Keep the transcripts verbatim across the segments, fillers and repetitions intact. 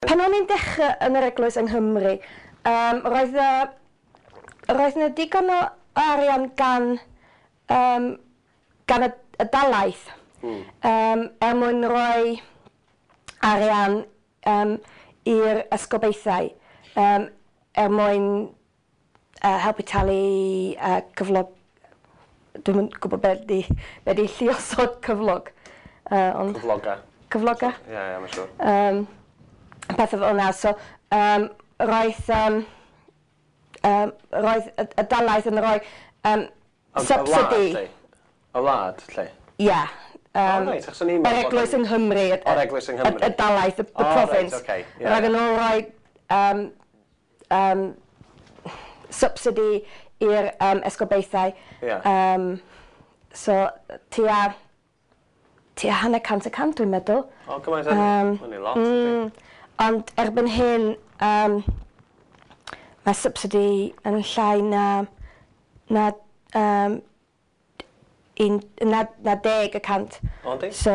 Pan o'n i'n dechrau yn yr eglwys yng Nghymru, um, roedd, y, roedd yna digon o arian gan, um, gan y, y dalaith mm. um, er mwyn rhoi arian um, i'r esgobaethau um, er mwyn uh, helpu talu uh, cyflog. Dwi'm yn gwybod be di, be di lluosog cyflog. Uh, ond, Cyfloga. Cyfloga. Ie, ie, mae'n siŵr. Um, pethau fel yna. So, um, roedd, um, um, roedd y, y dalaith yn rhoi um, Y- y subsidy. wlad, lle? Y wlad, lle? Ie. Yeah. Um, O, reit, achos o'n i'n yr meddwl bod eglwys yn- yng Nghymru. y- O'r eglwys yng Nghymru. Y, y dalaith, y, the O, reit, province. ocê, ie. Roedden nhw'n rhoi um, um, subsidy i'r um, esgobaethau. Ie. Um, so, tua, tua hanner cant y cant, dwi'n meddwl. O, gymaint hynny. Yym, Hynny lot, ydi. Ond erbyn hyn, um, mae subsidy yn llai na, na, um, un, na, na deg y cant. O, yndi? So,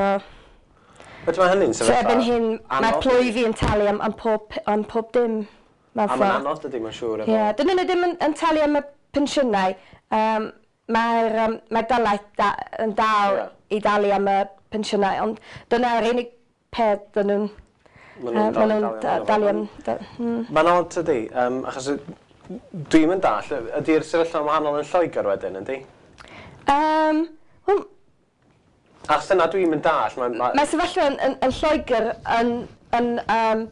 But mae hynny'n so sefyllfa erbyn hyn, mae anodd, plwyfi yn talu am, am, pob, am pob dim. Mewn A mae'n ffordd. anodd dydy, mae'n siŵr. efo- Ie, yeah, dyn nhw ddim yn, yn talu am y pensiynau. Um, Mae'r um, mae dalaith da, yn dal Ie. i dalu am y pensiynau, ond dyna'r unig peth dyn nhw'n Ma' yy, nhw'n ma' nhw'n dal i da- dalu dalu am. am. da- mm. Mae'n odd tydi, um, achos dwi'n mynd dall, ydy'r sefyllfa yn wahanol yn Lloegr wedyn, ydy? Um, wel, Achos dyna dwi'n mynd dall, mae'n... Ma, Mae sefyllfa yn, yn, yn Lloegr yn, yn, um,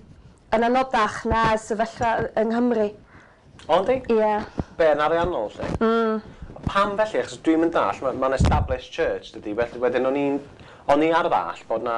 yn anodach na sefyllfa yng Nghymru. O, yndi? Ie. Yeah. Be, yn ariannol, lle? Mm. Pam felly? Achos dwi'n mynd dall, mae'n ma established church, dydy, felly wedyn o'n i'n o'n i ar ddall bod na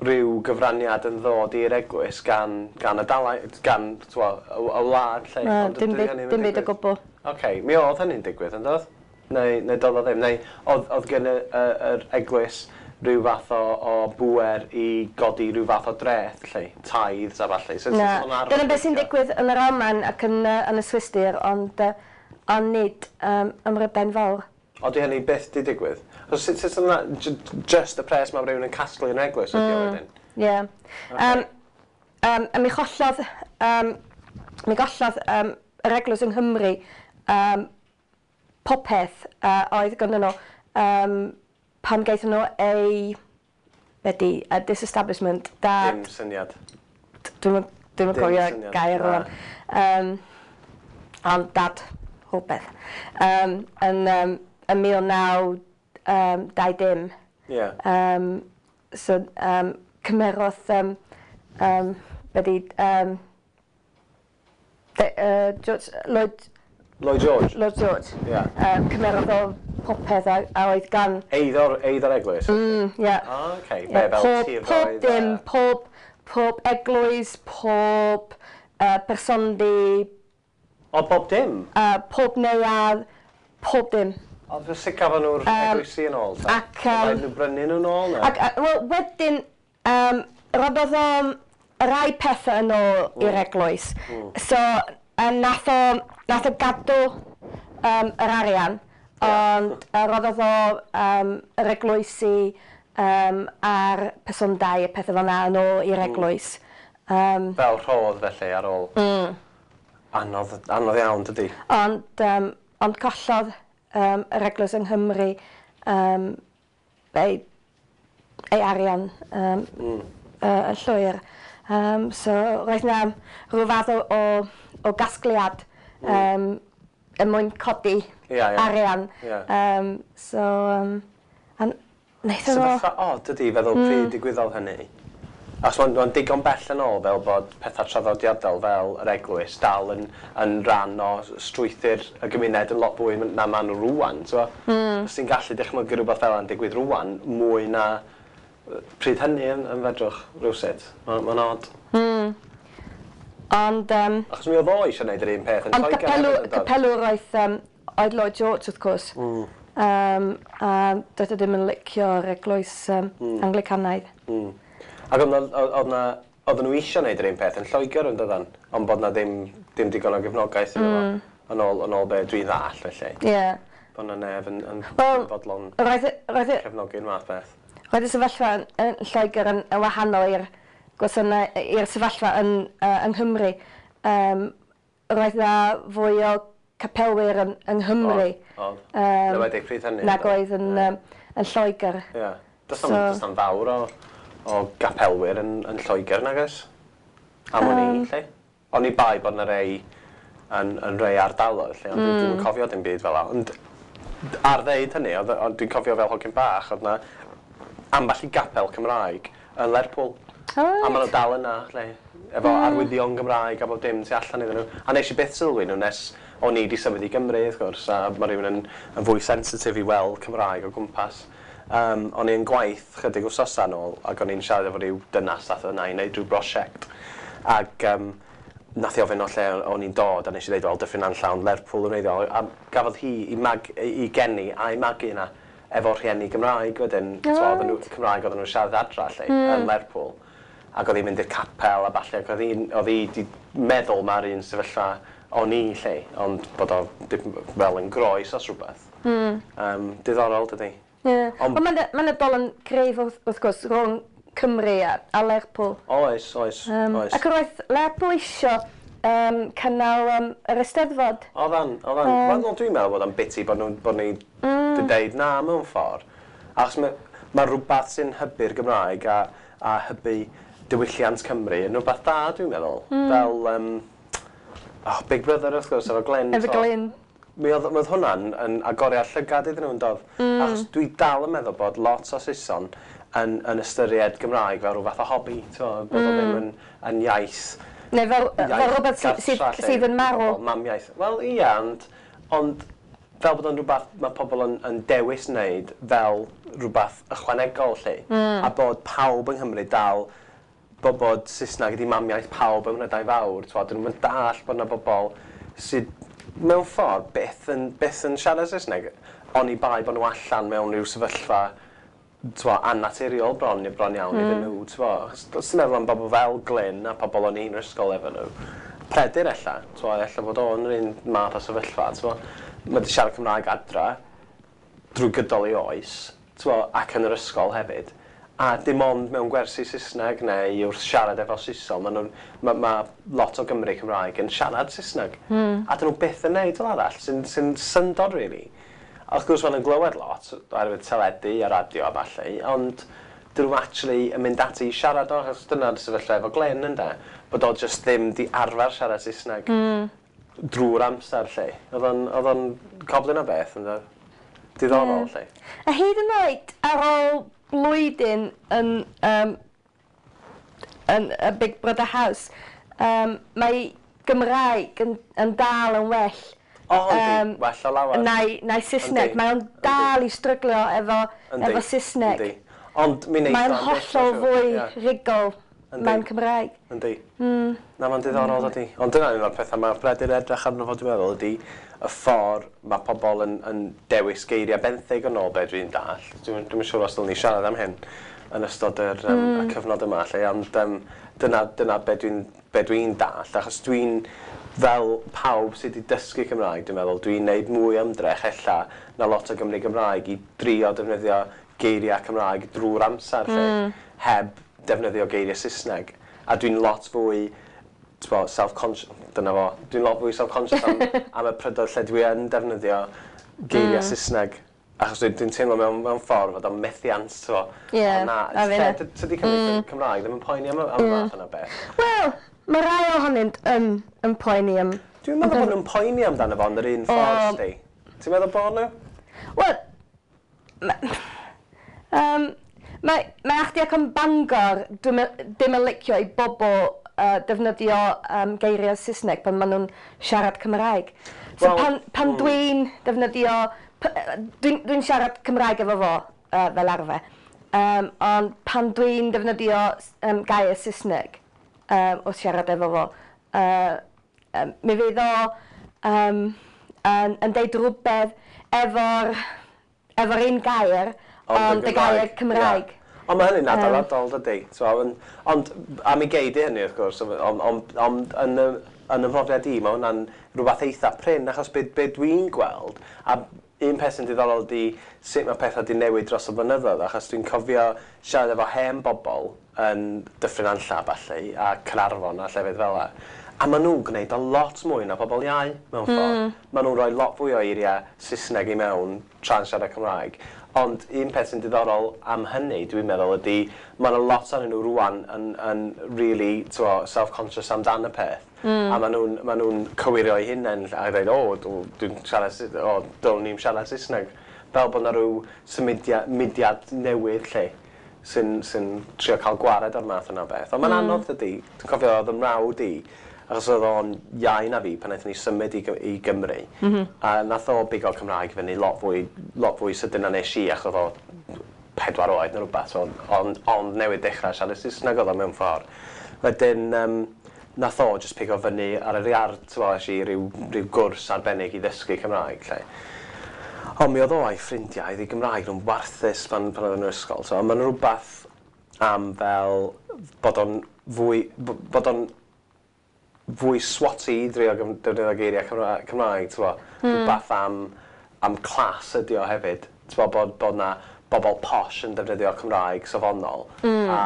rhyw gyfraniad yn ddod i'r eglwys gan, gan y dalaith, gan t'wo, y, y wlad lle. Na, Ond dim dydy byd, hynny ddim yn dim byd o digwydd. gwbl. Oce, mi oedd hynny'n digwydd, yn doedd? Neu, neu doedd o ddim. Neu oedd, oedd gen y, y, yr eglwys rhyw fath o, o bŵer i godi rhyw fath o dreth, lle, tithes a falle. So, Na, sut oedd o'n arfer dyna beth sy'n gweithio? digwydd yn yr Almaen ac yn, uh, yn y Swistir, ond, uh, ond nid um, ym Mhrydain Fawr. O, di hynny byth di digwydd? So, sut, sut yna, just y pres mae rhywun yn casglu yn eglwys ydy o Mm. wedyn? Ie. Yeah. Um, um, a mi chollodd, um, mi gollodd um, yr eglwys yng Nghymru um, popeth uh, oedd gyda nhw um, pan gaethon nhw ei, be di, a disestablishment, da, Dim syniad. dwi'n dwi'n Dim cofio syniad, gair na. rwan. Um, ond dad rhywbeth. Um, yn, um, yn mil naw um, dau dim. Ie. Um, so, um, cymerodd, um, um, be di, um, de, uh, George, Lloyd, Lloyd George? Lloyd George. Ie. Um, cymerodd o popeth a, a oedd gan... Eiddo'r, eiddo'r eglwys? Mm, yeah. O, oce. Ie, Be, fel pob, tiroedd pob dim, a- pob, pob eglwys, pob uh, persondy, O, bob dim? uh, pob neuadd, pob dim. Ond fe sut gafon nhw'r Yym, eglwysi yn ôl, ta? ac, yym, Rhaid nhw brynu nhw'n ôl, na? Ac, uh, wel, wedyn, um, roddodd o rai pethau yn ôl i'r eglwys. So, uh, nath o, nath o gadw um, yr arian, ond uh, roddodd o um, yr eglwysi um, a'r persondau a pethau fel 'na yn ôl i'r eglwys. Um, Fel rhodd, felly, ar ôl. Mm. Anodd, anodd iawn, dydy. Ond, um, ond collodd um, yr eglwys yng Nghymru um, ei, ei arian um, mm. uh, yn llwyr. Um, so roedd 'na rhyw fath o, o, o gasgliad um, er mwyn codi Ia, ia. arian. Ia. Um, so, um, a wnaethon nhw... Sefyllfa od ydy feddwl mm. pryd digwyddodd hynny. Achos mae'n ma digon bell yn ôl fel bod pethau traddodiadol fel yr eglwys dal yn, yn rhan o strwythur y gymuned yn lot fwy na maen nhw rŵan. So, mm. Os ti'n gallu dychmygu rhywbeth fel yna'n digwydd rŵan, mwy na yy, pryd hynny yn, yn fedrwch rhywsut. Mae'n ma odd. Ond, um, Achos mi oedd o eisiau gwneud yr un peth yn ond Lloegr capelw, hefyd, yn doedd? capelwr oedd, um, oedd Lloyd George, wrth gwrs. Mm. Um, a doedd o ddim yn licio'r eglwys um, mm. Anglicanaidd. Mm. Ac oedd 'na- oedd na, oedden nhw eisiau gwneud yr un peth yn Lloegr yn doedden, ond bod na ddim, ddim digon o gefnogaeth iddo fo. Yn ôl, yn ôl be dwi'n ddall, felly. Ie. Yeah. Bod na neb yn, yn, Wel, yn fodlon Roedd, y- roedd, y- cefnogi'r math beth. roedd y sefyllfa yn, yn Lloegr yn, yn wahanol i'r gwasanaeth i'r sefyllfa yn, uh, yng Nghymru. Um, roedd na fwy o capelwyr yn, yng Nghymru. Oedd. Um, Enwedig pryd hynny. Nag oedd yn, yeah. um, yn Lloegr. Ie. Yeah. Does so, na'm fawr o, o gapelwyr yn, yn Lloegr, nag oes? Am o'n i, lle? O'n i bai bod 'na rei yn, yn rei ardaloedd, lle, ond mm. dwi'n cofio dim byd fel 'na. Ond ar ddeud hynny, oedd, ond dwi'n cofio fel hogyn bach, oedd 'na ambell i gapel Cymraeg yn Lerpwl. Oh, a maen nhw dal yna, lle, efo mm. arwyddion Gymraeg a bob dim tu allan iddyn nhw. A nes i byth sylwi nhw nes o'n i 'di symud i Gymru, wrth gwrs, a mae rhywun yn, yn fwy sensitif i weld Cymraeg o gwmpas. Um, o'n i'n gwaith chydig wsnosau nôl, ac o'n i'n siarad efo rhyw dynas ath yna i wneud rhyw brosiect. Ac um, nath i ofyn o lle o'n i'n dod, a nes i ddeud, wel, Dyffryn Nantlle, ond Lerpwl yn wreiddiol. A gafodd hi i, mag, i geni a'i magu yna efo rhieni Gymraeg wedyn. Oh, so, nhw, Cymraeg oedden nhw'n siarad adra lle, mm. yn Lerpwl. Ac oedd hi'n mynd i'r capel a ballu, ac oedd hi'n, oedd hi 'di meddwl mae'r un sefyllfa o'n i lle, ond bod o fel yn groes os rhywbeth. Mm. Um, diddorol, dydy. Yeah. Ond mae'n ma dolen gref wrth, wrth gwrs rhwng Cymru a, a Lerpwl. Oes, oes, um, oes. Ac roedd Lerpwl isio um, cynnal um, yr Eisteddfod. Oeddan, oeddan. Um, Wel, dwi'n meddwl bod o'n biti bod, nhw, bod ni mm. di deud na mewn ffordd. Achos mae, mae rhywbeth sy'n hybu'r Gymraeg a, a hybu diwylliant Cymru yn rhywbeth da, dwi'n meddwl. Mm. Fel um, oh, Big Brother, wrth gwrs, efo Glyn. Efo Glyn. Mi oedd, mi oedd hwnna'n yn agoriad llygad iddyn nhw'n doedd. Mm. Achos dwi dal yn meddwl bod lot o Saeson yn, yn ystyried Gymraeg fel rhyw fath o hobi, bod mm. o ddim yn, yn iaith. Neu fel, fel rhywbeth sydd, sydd yn marw. Fel mamiaith. Wel, ia, ond, ond fel bod o'n rhywbeth mae pobl yn, yn dewis wneud fel rhywbeth ychwanegol, lle. Mm. A bod pawb yng Nghymru dal, bod, bod Saesneg ydi mamiaith pawb ym Mhrydain Fawr, t'wo, dyn nhw'n dall bod yna bobl sydd mewn ffordd byth yn, byth yn siarad Saesneg, oni bai bod nhw allan mewn rhyw sefyllfa t'wo, annaturiol bron, bron iawn mm. iddyn nhw, t'wo. Achos os ti'n meddwl am bobl fel Glyn a pobl o'n i'n ysgol efo nhw, Peredur ella, t'wo, ella bod o'n yr un math o sefyllfa, t'wo. Mae 'di siarad Cymraeg adra drwy gydol ei oes, t'wo, ac yn yr ysgol hefyd. A dim ond mewn gwersi Saesneg neu wrth siarad efo Saeson, ma' nhw'n, ma, ma lot o Gymry Cymraeg yn siarad Saesneg. Mm. A dyn nhw byth yn neud fel arall, sy'n sy syndod, really. A wrth gwrs maen nhw'n glywed lot, oherwydd teledu a radio a ballu, ond dyn nhw actually yn mynd ati i siarad o, achos dyna'r sefyllfa efo Glyn, ynde, bod o just ddim di arfer siarad Saesneg mm. drwy'r amser, lle. Oedd o'n, oedd o'n coblyn o beth, ynde? Diddorol, yeah. lle. A hyd yn oed ar ôl blwyddyn yn, um, yn y Big Brother House, um, mae Gymraeg yn, yn dal yn well. O, oh, yndi, um, well o lawer. Na'i, na'i Saesneg. Mae o'n dal i stryglio efo, efo Saesneg. Yndi. Ond mi wneith Mae'n o am byth, hollol mae'n siŵr. fwy Ie. rhugl Yndi. mewn Cymraeg. Yndi. Mm. Na, mae'n diddorol, ydy. Ond dyna un o'r pethau mae Peredur edrych arno fo, dwi'n meddwl, ydy y ffordd mae pobl yn, yn dewis geiriau benthyg yn ôl be dwi'n dall. Dwi'n dwi'n siŵr os dylwn ni siarad am hyn yn ystod yr, um, Mm. y cyfnod yma, lle, ond um, dyna, dyna be dwi'n be dwi'n dall, achos dwi'n, fel pawb sydd wedi dysgu Cymraeg, dwi'n meddwl, dwi'n neud mwy o ymdrech ella na lot o Gymry Gymraeg i drio defnyddio geiriau Cymraeg drwy'r amser, lle, Mm. heb defnyddio geiriau Saesneg. A dwi'n lot fwy, t'bo, self-conscious, dyna fo, dwi'n lot fwy self-conscious am, am y prydoedd lle dwi yn defnyddio geiriau Mm. Saesneg. Achos dwi'n dwi teimlo mewn, mewn ffordd fod o'n methiant, t'bo. Ie, Ond na, a lle finne. dy- tydi Cymru mm. Cymraeg ddim yn poeni am, y- am y Mm. fath yna beth. Wel, mae rai ohonynt yn, yn poeni am... Dwi'n meddwl bod nhw'n poeni amdano fo yn yr un ffordd, O. sti. Ti'n meddwl bod nhw? Wel, ma- um, mae, mae Achdi ac yn Bangor dwi'm yn- ddim yn licio i bobl uh, defnyddio um, geiriau Saesneg pan maen nhw'n siarad Cymraeg. So Wel, pan, pan mm. dwi'n defnyddio... p- yy, Dwi'n dwi siarad Cymraeg efo fo uh, fel arfer, um, ond pan dwi'n defnyddio um, gair Saesneg um, wrth siarad efo fo, uh, um, mi fydd o um, yn, yn deud rhywbeth efo'r efo'r un gair, ond y gair Cymraeg. Ie. Ond mae hynny'n Yym. adeiladol, dydy. So, ond, ond am i gei di hynny, wrth gwrs, ond on, on, yn, y, yn y mhrofiad i, mae hwnna'n rhywbeth eitha prin, achos be, be dwi'n gweld, a un peth sy'n diddorol ydi sut mae pethau di newid dros y blynyddoedd, achos dwi'n cofio siarad efo hen bobl yn Dyffryn Nantlle a ballu, a Caernarfon a llefydd fel 'a. A maen nhw'n gwneud o lot mwy na pobl iau, mewn ffordd. Mm. Maen nhw'n rhoi lot fwy o eiriau Saesneg i mewn tra'n siarad Cymraeg. Ond un peth sy'n diddorol am hynny, dwi'n meddwl, ydy mae yna lot ohonyn nhw rwan yn, yn really, t'mo, self-conscious amdan y peth. Mm. A maen nhw'n ma nhw cywiro eu hunain a dweud, "O, dwi'n siarad, o, dylwn ni'n siarad Saesneg." Fel bod yna rhyw symudiad, mudiad newydd lle sy'n sy trio cael gwared o'r math yna o beth. Ond mae'n mm. anodd, dydy. Dwi'n cofio oedd 'y mrawd i, achos oedd o'n iau na fi pan wnaethon ni symud i, i Gymru. Mm -hmm. A nath o bigo Cymraeg fyny lot fwy, lot fwy sydyn na nes i, achos oedd o pedwar oed neu rhywbeth, so, ond, ond newydd dechrau siarad Saesneg oedd o mewn ffordd. Wedyn, um, nath o just pigo fyny ar yr iard, ti'n es i ryw, ryw gwrs arbennig i ddysgu Cymraeg, lle. Ond mi oedd o a'i ffrindiau, oedd eu Gymraeg nhw'n warthus pan, pan oedd yn yr ysgol. So, mae'n rhywbeth am fel bod o'n fwy, bod o'n fwy swati i drio defnyddio geiriau Cymraeg, Cymraeg ti'n mm. Rhywbeth am, am class ydi o hefyd. Ti'n bod, bod na bobl posh yn defnyddio Cymraeg safonol mm. a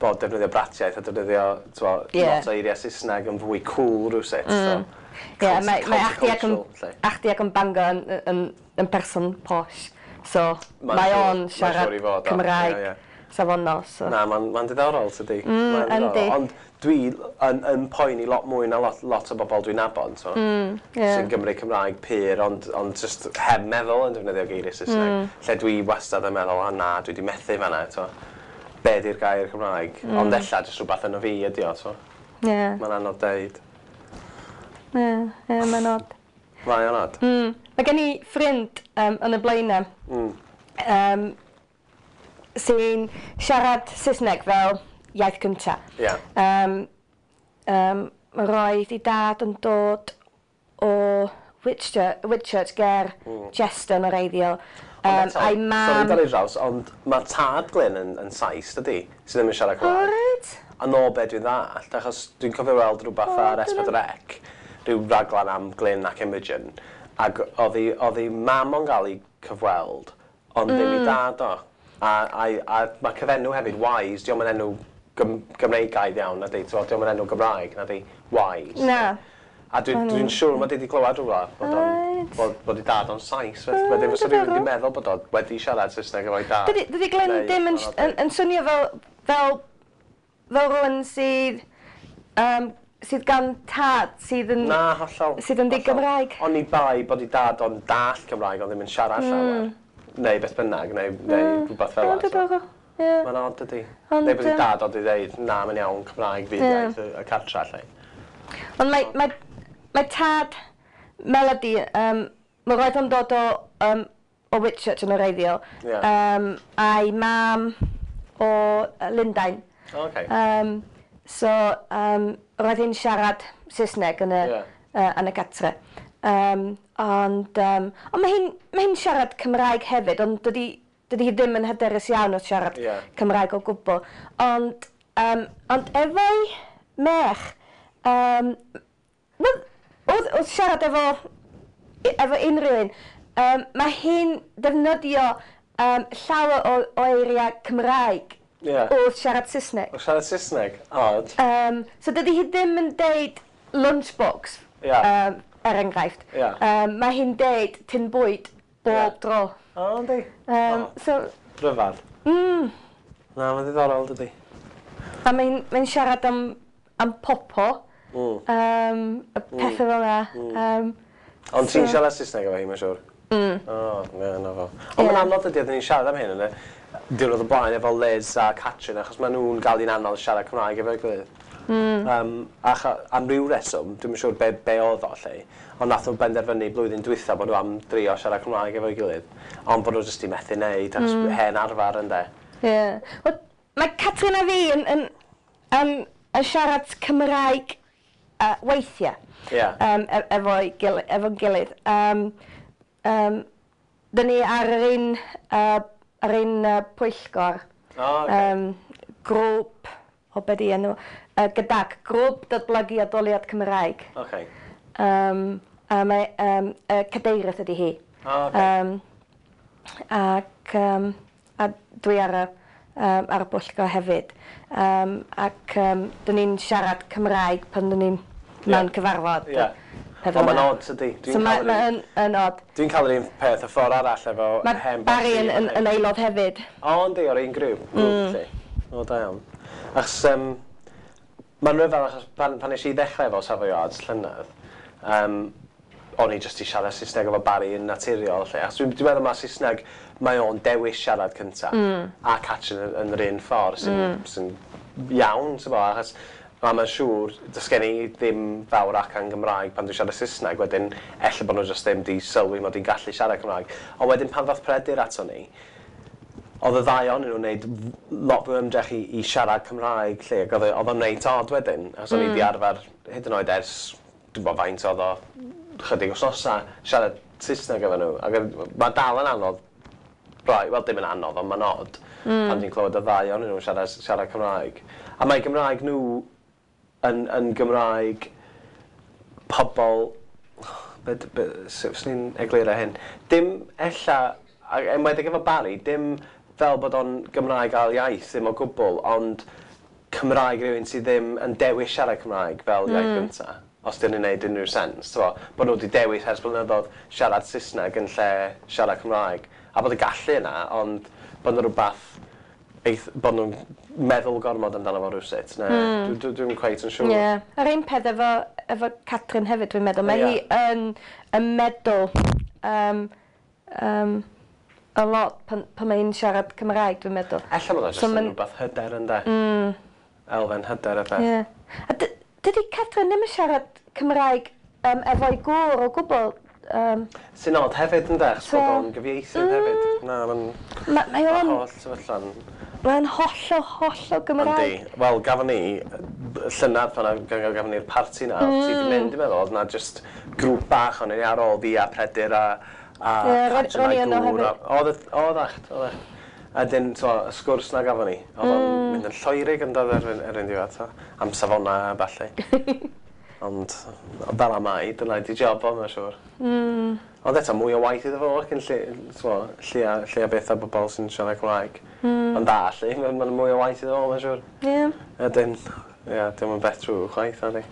bod defnyddio bratiaith a defnyddio, t'mo, yeah. lot o eiriau Saesneg yn fwy cool rhywsut. Mm. So, yeah, mae, mae achdi ac yn, achdi ac yn Bangor yn, yn, yn person posh. So, mae o'n siarad Cymraeg yeah, yeah. safonol. So. Na, mae'n ma diddorol, tydi. Mm, yndi. Ond dwi yn, yn poeni lot mwy na lot, lot o bobl dwi'n nabod, so, mm, yeah. sy'n Gymru Cymraeg pur, ond, ond just heb meddwl yn defnyddio geiriau Saesneg. Mm. Lle dwi wastad yn meddwl, "O na, dwi wedi methu fanna, to. Be di'r gair Cymraeg?" Mm. Ond ella jyst rhywbeth yno fi ydi o, so. Yeah. Mae'n anodd deud. Ie, yeah, yeah, mae'n od. Mae o'n od. Mm. Mae gen i ffrind um, yn y Blaenau mm. um, sy'n siarad Saesneg fel iaith cynta. Yeah. Um, um, roedd ei dad yn dod o Whitchurch, Whitchurch ger mm. Chester yn wreiddiol. Um, a'i mam. Sorry, dorri draws, ond mae tad Glyn yn, yn Sais, dydy? Sydd ddim yn siarad Cymraeg. O, reit. A no be dwi'n ddallt, achos dwi'n cofio weld rhywbeth oh, ar S pedwar C, rhyw raglan am Glyn ac Imogen, ac oedd ei, oedd ei mam o'n gael ei cyfweld, ond mm. ddim ei dad o. A, a, a mae cyfenw hefyd, Wise, diolch yn enw Gym Gymreigaidd iawn, na di, dio'm yn enw Gymraeg, na di, Wise. Na. A dwi'n dwi siŵr mae wedi clywed rhywle bod, o'n, bod, bod ei dad o'n Sais. Wedyn fysa rhywun wedi meddwl bod o wedi siarad Saesneg efo'i dad. Dydy, dydy Glyn ddim yn, yn, yn swnio fel, fel, fel rhywun sydd, um, sydd gan tad sydd yn Na, hollol. sydd yn di-Gymraeg. Oni bai bod ei dad o'n dall Cymraeg ond ddim yn siarad mm. llawer. Neu beth bynnag, neu, neu mm. rhywbeth fel yna. So. Yeah. Mae'n odd, dydy. Neu bod ei dad oedd i ddeud, "Na, mae'n iawn, Cymraeg fydd yeah. iaith y, y cartra," lle. Ond mae, mae mae tad Melody, um, mae roedd o'n dod o, um, o Whitchurch yn wreiddiol. Yeah. Um, a'i mam o Lundain. Okay. Um, so, um, roedd hi'n siarad Saesneg yn y, yeah. uh, yn y gatre. Um, ond, um, ond mae hi'n mae hi'n siarad Cymraeg hefyd, ond dydy, dydy hi ddim yn hyderus iawn o siarad yeah. Cymraeg o gwbl. Ond, um, ond efo'i merch, um, wel, wrth, wrth siarad efo, efo unrhyw un, um, mae hi'n defnyddio um, llawer o, o eiriau Cymraeg yeah. wrth siarad Saesneg. Wrth siarad Saesneg? Odd. Um, so dydy hi ddim yn deud lunchbox, yeah. um, er enghraifft. Yeah. Um, mae hi'n deud tin bwyd bob yeah. dro. O, oh, yndi? Um, oh. So, Rhyfedd. Mm. Na, mae'n ddiddorol, dydy. A mae'n mae siarad am, am popo. Mm. Um, y pethau mm. fel yna. Mm. Um, Ond ti'n siarad Saesneg efo hi, mae'n siŵr? Mm. O, oh, na fo. Ond yeah. mae'n anodd ydy, oedden ni'n siarad am hyn yn y diwrnod o blaen efo Liz a Catrin, achos maen nhw'n gael un anodd siarad Cymraeg efo'i gilydd. Mm. Um, ach, am ryw reswm, dwi'n siŵr be, be oedd o lle, ond nath nhw benderfynu blwyddyn dwytha bod nhw am drio siarad Cymraeg efo'i gilydd, ond bod nhw jyst i methu wneud, achos mm. hen arfer ynde. Ie. Yeah. Wel, mae Catrin a fi yn, yn, yn, yn siarad Cymraeg uh, weithiau. Yeah. Um, e efo'i gil efo'n gilydd. Um, um, dyn ni ar yr un, uh, ar un uh, pwyllgor. Oh, okay. Um, grŵp, o be di enw, uh, gydag grŵp datblygu addoliad Cymraeg. Okay. Um, a mae um, uh, cadeirydd ydi hi. Oh, okay. Um, ac um, a dwi ar y, um, ar y bwyllgor hefyd. Um, ac um, dyn ni'n siarad Cymraeg pan dyn ni'n mewn cyfarfod. Ie. Ond mae'n odd, tydi? So mae'n ma yn, yn odd. Dwi'n cael yr un peth y ffordd arall efo mae hen Barry yn, yn, yn aelod hefyd. O, yndi, o'r un grŵp. Mm. O, da iawn. Achos, um, mae'n rhyfedd, achos pan, pan nes i ddechrau efo Savoyards llynedd, um, o'n i jyst i siarad Saesneg efo Barry yn naturiol. Lle. Achos dwi'n dwi meddwl mae Saesneg, mae o'n dewis siarad cynta. Mm. A Catrin yn, yn yr un ffordd sy'n mm. sy iawn, ti'n bo, achos a mae'n siŵr, does gen i ddim fawr ac yn Gymraeg pan dwi'n siarad Saesneg, wedyn ella bod nhw jyst ddim di sylwi mod i'n gallu siarad Cymraeg. Ond wedyn pan ddoth Peredur ato ni, oedd y ddau ohonyn nhw'n gwneud lot fwy o ymdrech i, i siarad Cymraeg lle, ac oedd oedd o'n reit odd wedyn, achos o'n i di arfer hyd yn oed ers, dwi'n bod faint oedd o, chydig wythnosa, siarad Saesneg efo nhw. Ac mae dal yn anodd, rai, wel dim yn anodd, ond mae'n odd, mm. pan ti'n clywed y ddau ohonyn nhw'n siarad, siarad Cymraeg. A mae Gymraeg nhw yn, yn Gymraeg pobl, be, be, sut fyswn i'n egluro hyn? Dim ella, a enwedig efo Barry, dim fel bod o'n Gymraeg ail iaith, ddim o gwbl, ond Cymraeg rhywun sydd ddim yn dewis siarad Cymraeg fel iaith mm. gynta. Os dyn nhw'n neud unrhyw sens. T'mo, bod nhw wedi dewis ers blynyddoedd siarad Saesneg yn lle siarad Cymraeg. A bod y gallu yna, ond bod yna rhywbeth eith, bod nhw'n meddwl gormod amdano fo rhywsut. Ne, mm. dwi'n dwi, dwi quite yn siŵr. Ie. Yeah. Yr un peth efo, efo Catrin hefyd, dwi'n meddwl. Mae Ie. hi yn, yn meddwl um, um, a lot pan, pan mae hi'n siarad Cymraeg, dwi'n meddwl. Ella bod o jyst So yn ma'n- rhywbeth hyder ynde. Mm. Elfen hyder y peth. Ie. A dy- dydy Catrin ddim yn siarad Cymraeg um, efo'i gŵr o gwbl. Um, Sy'n od hefyd ynde, achos So- bod o'n gyfieithydd hefyd. Na, mae'n ma, mae o'n holl sefyllfa'n mae'n hollol, hollol Gymraeg. Yndi. Wel, gafon ni, llynedd pan gafon ni'r parti na, mm. ti wedi mynd, dwi'n meddwl, oedd na just grŵp bach o'n ni ar ôl fi a Peredur a, a Ie, ro'n- Catrin ro'n i a'i yno gŵr hefyd. a- Oedd, y- oedd acht, oedd acht. A dyn, t'mo, y sgwrs na gafon ni, oedd o'n mm. mynd yn lloerig yn dod erbyn, erbyn diwedd, t'mo, am safonau a ballu. Ond, fel am mai, dyna di job o, mae'n siŵr. Mm. Ond eto, mwy o waith iddo fo, ac yn lle, t'mo, lle a, lle a beth a bobl sy'n siarad Cymraeg. Mm. Ond da, lle, mae'n ma mwy o waith iddo fo, mae'n siŵr. Ie. Ydyn, ie, dim yn beth trwy chwaith, na di.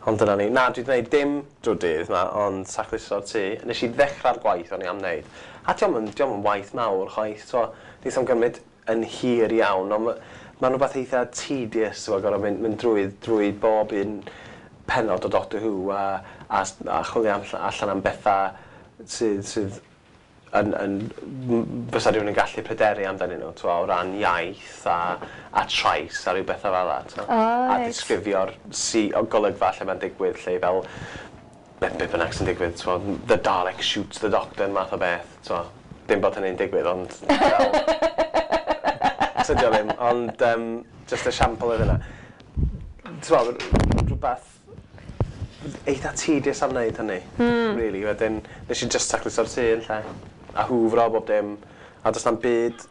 Ond dyna ni. Na, dwi wedi gwneud dim drwy'r dydd ma, ond tacluso'r tŷ. Nes i ddechrau'r gwaith o'n i am wneud. A diolch yn, diolch yn waith mawr chwaith, so, neith o'm gymryd yn hir iawn, ond ma- mae'n rhywbeth eitha tedious, so, gorfod mynd, mynd drwy, drwy bob un pennod o Doctor Who a, a, a chwilio am, allan am bethau sydd, sydd yn, yn, m- fysa rhywun yn gallu pryderu amdanyn nhw, t'mo, o ran iaith a, a trais a rhyw bethau fel 'na, t'mo. O, A reit. disgrifio'r si, o golygfa lle mae'n digwydd, lle fel be, be bynnag sy'n digwydd, t'mo, the Dalek shoots the doctor, math o beth, t'mo. Dim bod hynny'n digwydd, ond fel... Tydi o ddim, ond um, just esiampl oedd yna. T'mo, rhywbeth eitha tedious am wneud hynny, mm. really. Wedyn, nes i just tacluso'r tŷ yn lle, a hwfro bob dim, a does na'm byd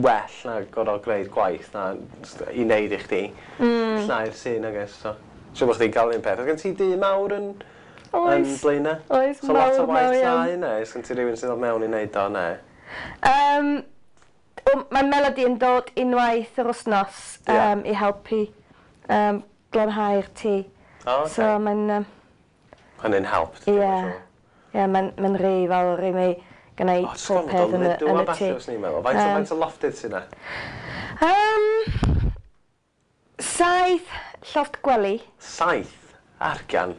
well na gorfod gwneud gwaith na jyst i wneud i chdi. Mm. Llnau'r tŷ, nag oes, so. Siŵr bod chdi'n cael un peth. Oes gen ti dŷ mawr yn, yn Oes. Blaenau? Oes, So lot o mawr, waith mawr iawn. llnau, neu? Oes gen ti rhywun sydd o mewn i wneud o, neu? Um, o, mae Melody yn dod unwaith yr wythnos Ie. um, i helpu um, glanhau'r tŷ. O, okay. So mae'n um, Hynny'n help, ie, dwi'n siŵr. ie, mae'n mae'n rhy fawr i mi gwneud O, jyst pob gormod o peth yn y, lidw yn a y ballu, tŷ. fyswn i'n meddwl. Faint o Yym. faint o lofftydd sy'n na? Um, saith llofft gwely. Saith? Argan.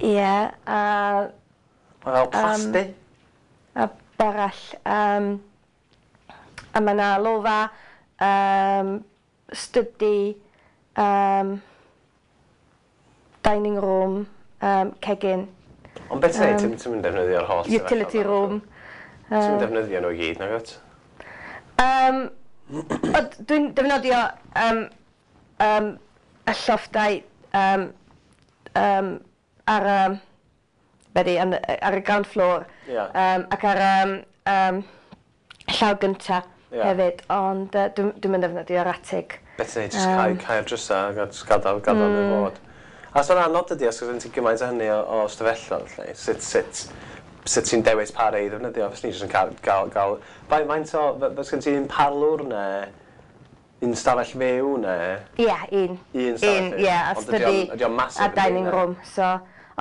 Ie, yeah, a, Mae fel plasty. a barall. Um, a mae yna lofa, um, study, um, dining room, um, cegin, Ond beth ti'n neud? Ti'n mynd defnyddio'r holl utility room. Ti'n mynd defnyddio nhw i gyd, nag wyt? Um, Dwi'n defnyddio um, um, y llofftau um, um, ar, um, be di, yn- ar y ground floor Ie. um, ac ar um, um, llaw gynta Ie. hefyd, ond uh, dwi'n dwi mynd defnyddio'r atig. Beth ti'n neud? Jyst cau, cau'r drysau a jyst gadael, gadael mm. nhw fod. A so'n anodd dydi, os gen ti gymaint o hynny o, o stafelloedd, lle. Sut, sut, sut ti'n dewis pa rei i ddefnyddio? Fes ni jyst yn cael, gael, gael... Faint, faint o, fes gen ti un parlwr neu? Un stafell fyw neu? Ie, yeah, un. Un stafell Un, fyw? ie, a Ond ydi study o'n- ydi o'n massive a yndi, dining ne? room. So,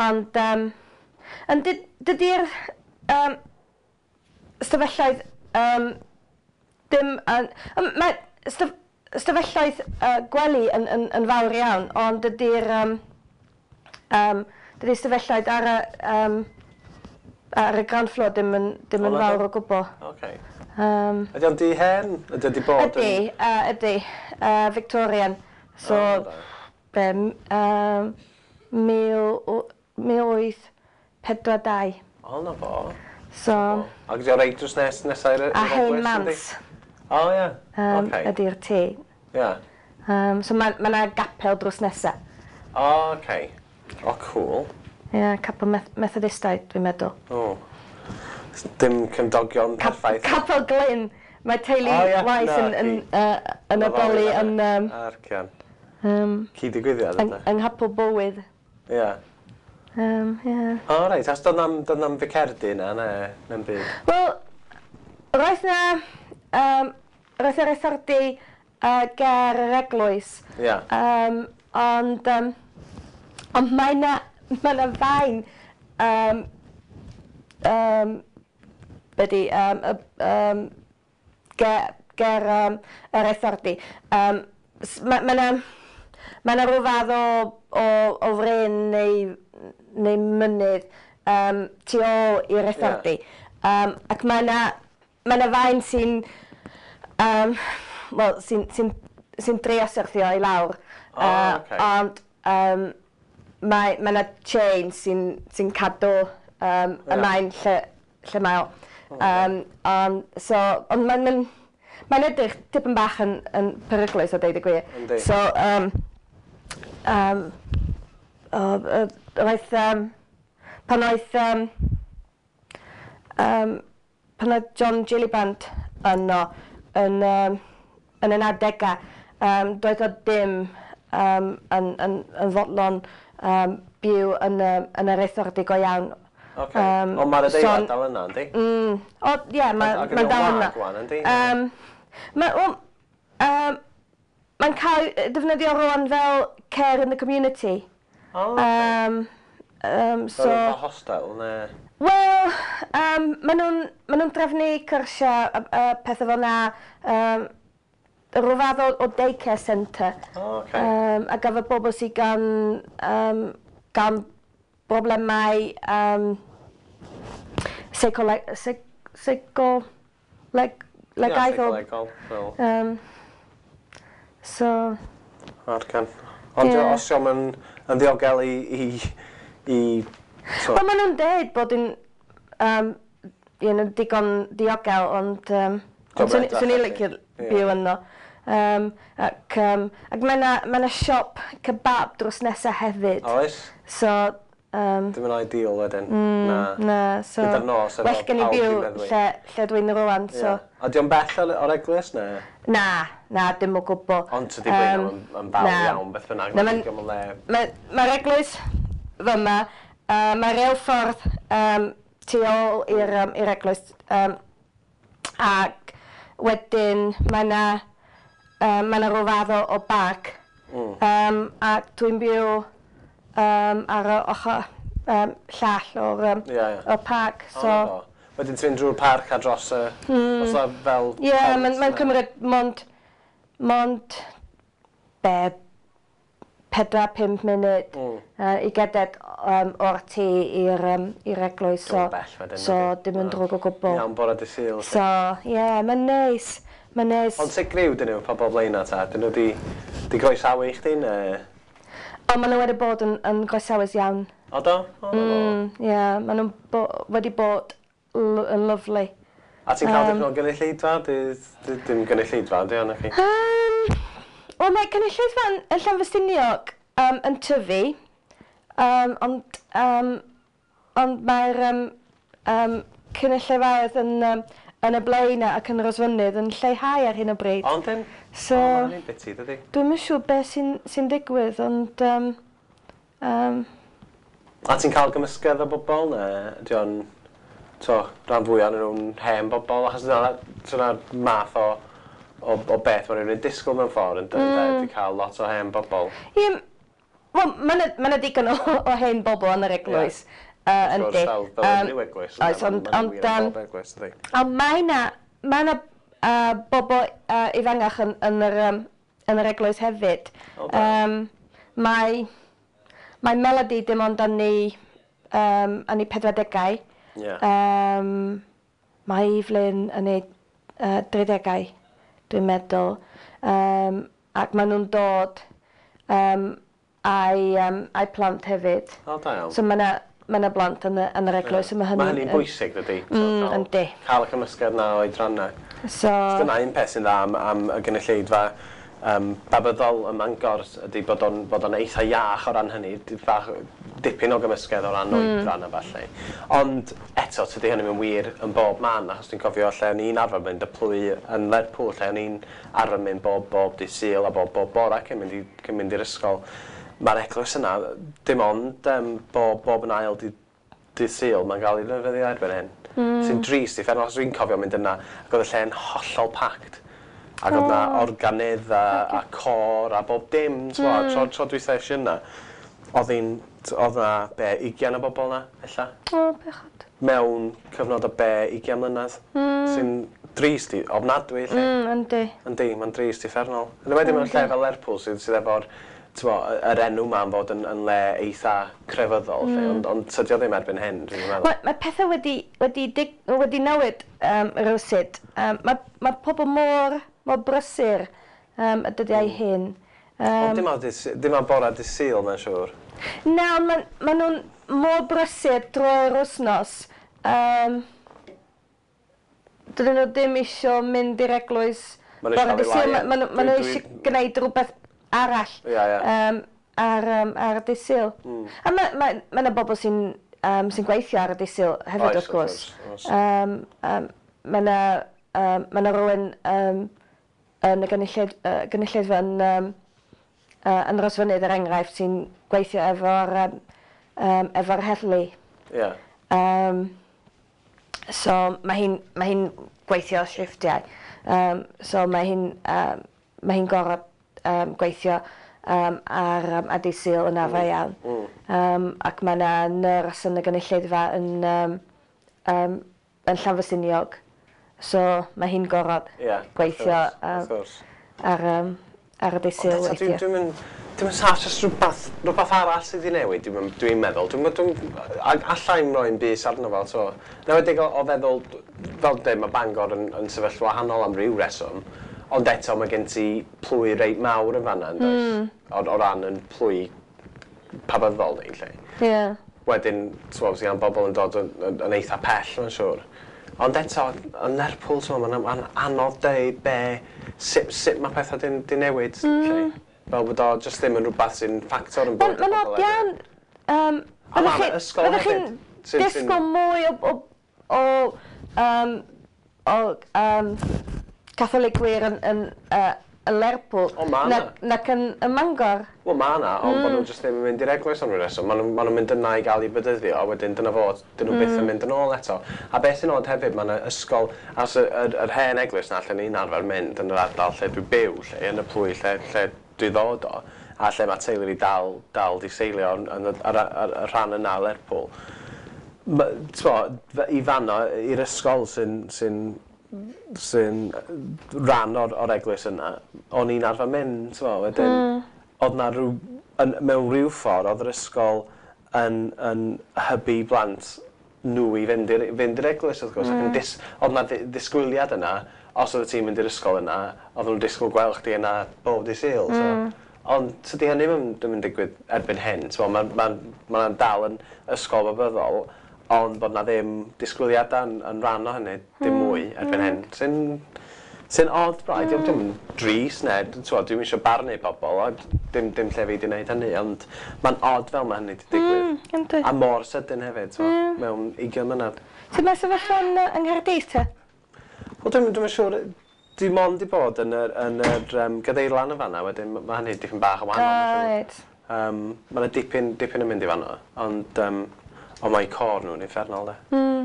ond, um, ond dy- dydi'r um, stafelloedd um, dim yn... Um, mae staf, stafelloedd uh, gwely yn, yn, yn fawr iawn, ond dydi'r um, um, dydi'r stafelloedd ar y, um, ar y ground floor dim yn, dim O, yn na fawr do? o gwbl. Okay. Um, Ydy o'n dŷ hen? Ydy o 'di bod ydy, yn... uh, ydy, uh, Victorian. So, O, da. be, um, mil, mil wyth pedwar dau. O, na fo. So, Ac ydy o reit drws nes, nesa i'r a i'r hen eglwys, yndi? mans O, ie. um, Oce. ydy'r tŷ. Ie. Um, so mae ma 'na gapel drws nesa. O, oce. O, cool. Ie, yeah, capel Meth Methodistaidd, dwi'n meddwl. O. Dim cymdogion Cap perffaith. Capel Glyn. Mae teulu O, ie, Wise na, yn, yn, ci. uh, yn addoli yn, um, Arcian. um, Cyd-digwyddiad, yng, ydy? yng Nghapel Bowydd. Ie. Um, yeah. O, reit. As doedd na'm, doedd na'm ficerdy na, ne, na'm byd. Wel, roedd na, um, roedd na reithordy uh, ger yr eglwys. Ie. Um, ond, um, ond mae na, mae na faen, um, um, be di, um, um, ger, ger um, y reithordy. Um, Mae ma na, ma na rhyw fath o, o, o fryn neu, neu mynydd um, tu ôl i'r reithordy. Um, ac mae na, mae na faen sy'n um, wel, sy'n sy sy trio syrthio i lawr. O, Uh, ocê. Ond um, mae, mae na chain sy'n sy cadw um, y Ie. maen lle, lle mae o. Um, ond, so, ond mae'n mae'n mae'n edrych tipyn bach yn, yn peryglus o deud y gwir. Yndi. So, um, um, o, uh, roedd, um, pan oedd, um, um, pan oedd John Gillibrand yno yn, um, yn y nawdegau, um, doedd o dim um, yn, yn, yn fodlon um, byw yn, y, yn y reithordy go iawn. Oce. Yym, Ond mae'r adeilad so- dal yna, yndi? Mm, o, ie, yeah, mae'n Ac ma ydi o'n dal yna. wag wan, yndi? Um, ma, wel, um, mae'n cael ei defnyddio rwan fel care in the community. O, oce. Um, um, So... so, Fel hostel, ne? wel, um, maen nhw'n ma nhw trefnu cyrsiau a, a pethau fel na, um, rhyw fath o, o daycare centre. O, oce. Um, a gyfer bobl sydd gan, um, gan broblemau um, seicoleg, seic, seicoleg, Ie, legaethol. seicolegol, fel. Um, so, Arcan. Ond Ie. yeah. os yw'n yn, yn ddiogel i... i, i so, wel, maen nhw'n deud bod yn um, you know, digon diogel, ond um, Diolch ond swn yn edrych swn i'n felly. licio Ie. byw yno. Um, ac um, ac mae yna ma siop kebab drws nesaf hefyd. Oes? So, um, Dim yn ideal wedyn. Mm, Na. na, so... Gyda'r nos efo Well gen i pawb byw 'di meddwi. lle, lle dwi'n rwan, so... Ie. A di o'n bell o'r, o'r eglwys, ne? Na, na, dim o gwbl. Ond tydi Blaenau Yym, yn, yn fawr na. iawn, beth bynnag. Na, Mae'n ma'n- digon o le. Mae'r ma eglwys fyma, uh, mae reilffordd um, tu ôl i'r um, i'r eglwys, um, ac wedyn mae yna um, mae yna rhyw fath o, o barc. Mm. Um, ac dwi'n byw um, ar y ochr um, llall o'r, um, Ie, ie. o'r parc. O, So, na fo. Wedyn ti'n mynd drwy'r parc a dros y... Mm. Os na fel... Ie, yeah, pont, mae'n ma ne? cymryd mond, mond be, pedwar, pump munud Mm. uh, i gerdded um, o'r tŷ i'r um, i'r eglwys. So, Dim yn bell wedyn, so nadi? dim yn Na. drwg o gwbl. Iawn, bore dy Sul. So, ie, yeah, mae'n neis. Mae'n neis. Ond sut griw dyn nhw, pobl Blaenau ta? Dyn nhw di, di groesawu i chdi, ne? Ond maen nhw wedi bod yn, yn groesawus iawn. O do? O, na fo. Mm, ie, yeah, maen nhw'n bo wedi bod l yn lovely. A ti'n cael Yym. dipyn o gynulleidfa? Di- di- Dim gynulleidfa, di o'n chi? Um, Wel, mae cynulleidfa yn, yn Llanfestiniog um, yn tyfu, um, ond, um, ond mae'r um, um, cynulleidfaoedd yn, um, yn y Blaenau ac yn Rhosfynydd yn lleihau ar hyn o bryd. Ond dim? So, O, ma' hynny'n biti, dydi? dwi'm yn siŵr beth sy'n sy digwydd, ond um, um, A ti'n cael gymysgedd o bobl, ne? Ydy o'n... To, rhan fwyaf yn nhw'n hen bobl, achos dyna, dyna'r math o, o, o beth mae rhywun yn disgwyl mewn ffordd yn dweud, mm. Di cael lot o hen bobl. Ie, wel, mae yna ma digon o, o hen bobl yn yr eglwys. Yeah. Uh, Wrth gwrs, fel, fel um, unrhyw eglwys. Oes, ond... Ond ond mae yna mae yna uh, bobl uh, ifangach yn, yn, yr, um, yn yr eglwys hefyd. Oh, um, mae, mae Melody dim ond yn ei, um, yn ei pedwardegau. Yeah. Um, mae Evelyn yn ei uh, dridegau, dwi'n meddwl. Um, ac maen nhw'n dod um, a'i, um, a'i plant hefyd. O, da iawn. So mae yna ma yna blant yn, y, yn yr eglwys. Yeah. Mae hynny'n Ma' hynny'n bwysig, dydy? Mm, yndi. Cael y cymysgedd na o oedrannau. So... Dyna un peth sy'n dda am, am y gynulleidfa um, babyddol ym Mangor ydy bod o'n, bod o'n eitha iach o ran hynny, bach, dipyn o gymysgedd o ran mm. oedran a falle. Ond eto, tydi hynny'n wir yn bob man, achos dwi'n cofio lle o'n i'n arfer mynd y plwy yn Lerpwl, lle o'n i'n arfer mynd bob, bob dydd Sul a bob, bob bora cyn mynd, i, cyn mynd i'r ysgol. Mae'r eglwys yna, dim ond um, bob, bob yn ail dydd, dydd Sul, mae'n cael ei ddefnyddio erbyn hyn. Mm. Sy'n drist i ffernol, achos dwi'n cofio mynd yna, ac oedd y lle'n hollol packed. Ac oedd 'na Oh. organydd a, a côr a bob dim, mm. tro, tro dwytha es i yna, oedd hi'n, oedd 'na be, ugian o bobl 'na, ella? O, bechod. Mewn cyfnod o be, ugian mlynedd. Mm. Sy'n drist i, ofnadwy, lle. Mm, yndi. Yndi, mae'n drist uffernol. Yn enwedig mewn lle fel Lerpwl sydd, sydd efo'r, t'mo, yr enw 'ma am fod yn, yn le eitha crefyddol, mm. lle, ond, ond tydi o ddim erbyn hyn, dwi'n meddwl. Mae, mae pethau wedi, wedi, dig, wedi newid um, rywsut. Um, mae, mae pobl mor, mor brysur um, y dyddiau mm. hyn. Um, ond dim ar, dim ar bora dydd Sul, mae'n siŵr. Na, ond ma, ma nhw'n mor brysur drwy'r wythnos. Um, dydyn nhw ddim isio mynd i'r eglwys bora dydd Sul. Ma, ma, ma nhw eisiau gwneud rhywbeth arall yeah, yeah. Um, ar, um, ar y dydd Sul. Mm. A mae ma, ma yna bobl sy'n um, sy'n gweithio ar y dydd Sul hefyd, Oes, wrth gwrs. Oes, oes. Um, um, mae yna um, ma yna rhywun um, yn y gynulleid, uh, gynulleidfa yn, um, uh, yn Rhosfynydd, er enghraifft, sy'n gweithio efo'r um, um, efo'r heddlu. Yeah. Um, so mae hi'n mae hi'n gweithio shifftiau. Um, so mae hi'n um, mae hi'n gorfod um, gweithio um, ar, um, ar dydd Sul yn arfer iawn. Mm. Um, ac mae yna nyrs yn y gynulleidfa yn, um, um, yn Llanfylliniog. So mae hi'n gorfod yeah, gweithio wrth um, gwrs. ar, um, ar y dydd Sul Ond eto, weithiau. Dwi'n dwi'n dwi'n saff, jyst rhywbeth, rhywbeth arall sydd wedi newid, dwi'n dwi'n meddwl. Dwi'n dwi'n alla i'm roi'n bys arno fo, so. Newedig o, o feddwl, fel dweud, mae Bangor yn, yn sefyllfa wahanol am ryw reswm, ond eto mae gen ti plwy reit mawr yn fanna, yn does? Mm. O, o ran yn plwy pabyddol ni, lle. Yeah. Wedyn, ti'n gwbod, gan bobl yn dod yn, yn, yn eitha pell, mae'n siŵr. Ond eto, yn Lerpwl, ti'n gwbod, mae'n ma anodd deud be, sut, sut mae pethau di, di newid, mm. lle. Fel bod o jyst ddim yn rhywbeth sy'n ffactor yn Mae'n bywyd y ma bobl od iawn. Um, A fyddech ma' 'na chi- ysgol fyddech chi'n hefyd sy'n- sy'n- disgwyl mwy o, o, o, um, o um, Catholicwyr yn, yn, uh, yn Lerpwl O, ma' 'na. nac, nac yn, yn Mangor. Wel, ma' 'na, ond mm. bod nhw jyst ddim yn mynd i'r eglwys am ryw reswm. Ma' nhw, ma' nhw'n mynd yna i gael eu bedyddio, a wedyn dyna fo, dyn nhw mm. byth yn mynd yn ôl eto. A beth sy'n od hefyd, ma' 'na ysgol, as y, yr, yr hen eglwys 'na lle ni'n arfer mynd yn yr ardal lle dwi'n byw, lle, yn y plwy lle, lle dwi ddod o, a lle mae teulu fi dal, dal di seilio yn, yn, y, ar, ar, y rhan yna o Lerpwl. Ma- t'mo, fe- i fanno, i'r ysgol sy'n sy'n sy'n rhan o'r, o'r eglwys yna, o'n i'n arfer mynd, t'mo, wedyn, mm. oedd na rhyw, yn, mewn rhyw ffordd, oedd yr ysgol yn, yn hybu blant nhw i fynd i'r, fynd i'r eglwys, wrth gwrs, mm. ac yn dis, oedd na ddi- ddisgwyliad yna, os oedd ti'n mynd i'r ysgol yna, oedd nhw'n disgwyl gweld chdi yna bob dydd Sul, mm. so. Ond tydi hynny ddim ddim yn digwydd erbyn hyn, t'mo, mae'n ma, ma, ma dal yn ysgol babyddol, ond bod na ddim disgwyliadau yn, yn rhan o hynny, dim mwy erbyn hyn. Sy'n sy'n odd braidd, mm. dim drist ne, t'mo, dwi'm eisiau barnu pobl, a dim, dim lle fi 'di wneud hynny, ond mae'n odd fel mae hynny 'di digwydd. Mm, yndi. A mor sydyn hefyd, t'mo, mm. mewn ugain mlynedd. Sut mae sefyllfa yn, yy, yng Nghaerdydd te? Wel, dwi'm dwi'm yn siŵr, dwi mond 'di bod yn yr, yn yr um, gadeirlan yn fanna, wedyn ma' hynny dipyn bach yn wahanol. O, ma'n siŵr. reit. Um, ma' 'na dipyn, dipyn yn mynd i fanno, ond, um, ond mae côr nhw'n uffernol, de. Mm.